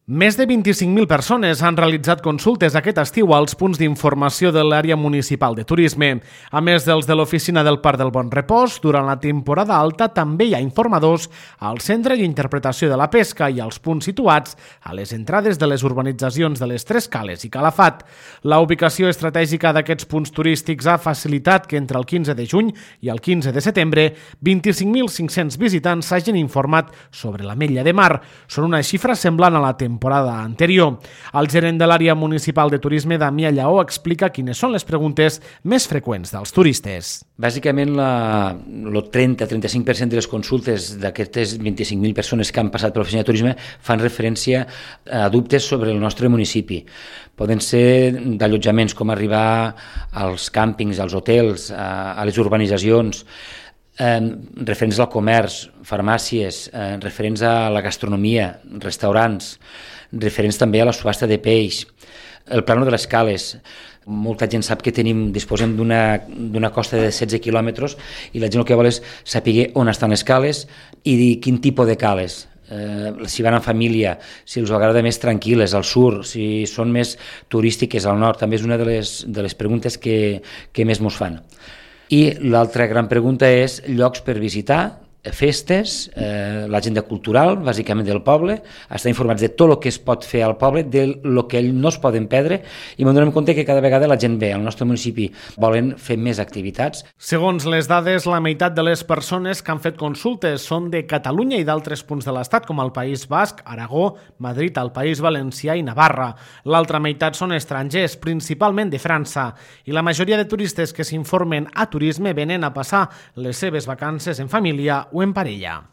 Més de 25.000 persones han realitzat consultes aquest estiu als punts d'informació de l'àrea municipal de turisme. A més dels de l'oficina del Parc del Bon Repòs, durant la temporada alta també hi ha informadors al Centre d'Interpretació de la Pesca i als punts situats a les entrades de les urbanitzacions de les Tres Cales i Calafat. La ubicació estratègica d'aquests punts turístics ha facilitat que entre el 15 de juny i el 15 de setembre 25.500 visitants s'hagin informat sobre l'Ametlla de Mar. Són una xifra semblant a la temporada anterior. El gerent de l'àrea municipal de turisme, Damià Lleó, explica quines són les preguntes més freqüents dels turistes. Bàsicament, el 30-35% de les consultes d'aquestes 25.000 persones que han passat per l'oficina de turisme fan referència a dubtes sobre el nostre municipi. Poden ser d'allotjaments, com arribar als càmpings, als hotels, a les urbanitzacions, referents al comerç, farmàcies, referents a la gastronomia, restaurants, referents també a la subhasta de peix, el plano de les cales. Molta gent sap que disposem d'una costa de 16 quilòmetres i la gent el que vol és saber on estan les cales i quin tipus de cales. Si van en família, si els agrada més tranquil·les al sud, si són més turístiques al nord, també és una de les preguntes que més mos fan. I l'altra gran pregunta és llocs per visitar, festes, l'agenda cultural, bàsicament del poble, estar informats de tot el que es pot fer al poble, del que no es poden perdre, i ens donem compte que cada vegada la gent ve al nostre municipi volen fer més activitats. Segons les dades, la meitat de les persones que han fet consultes són de Catalunya i d'altres punts de l'Estat, com el País Basc, Aragó, Madrid, el País Valencià i Navarra. L'altra meitat són estrangers, principalment de França, i la majoria de turistes que s'informen a turisme venen a passar les seves vacances en família o en parella.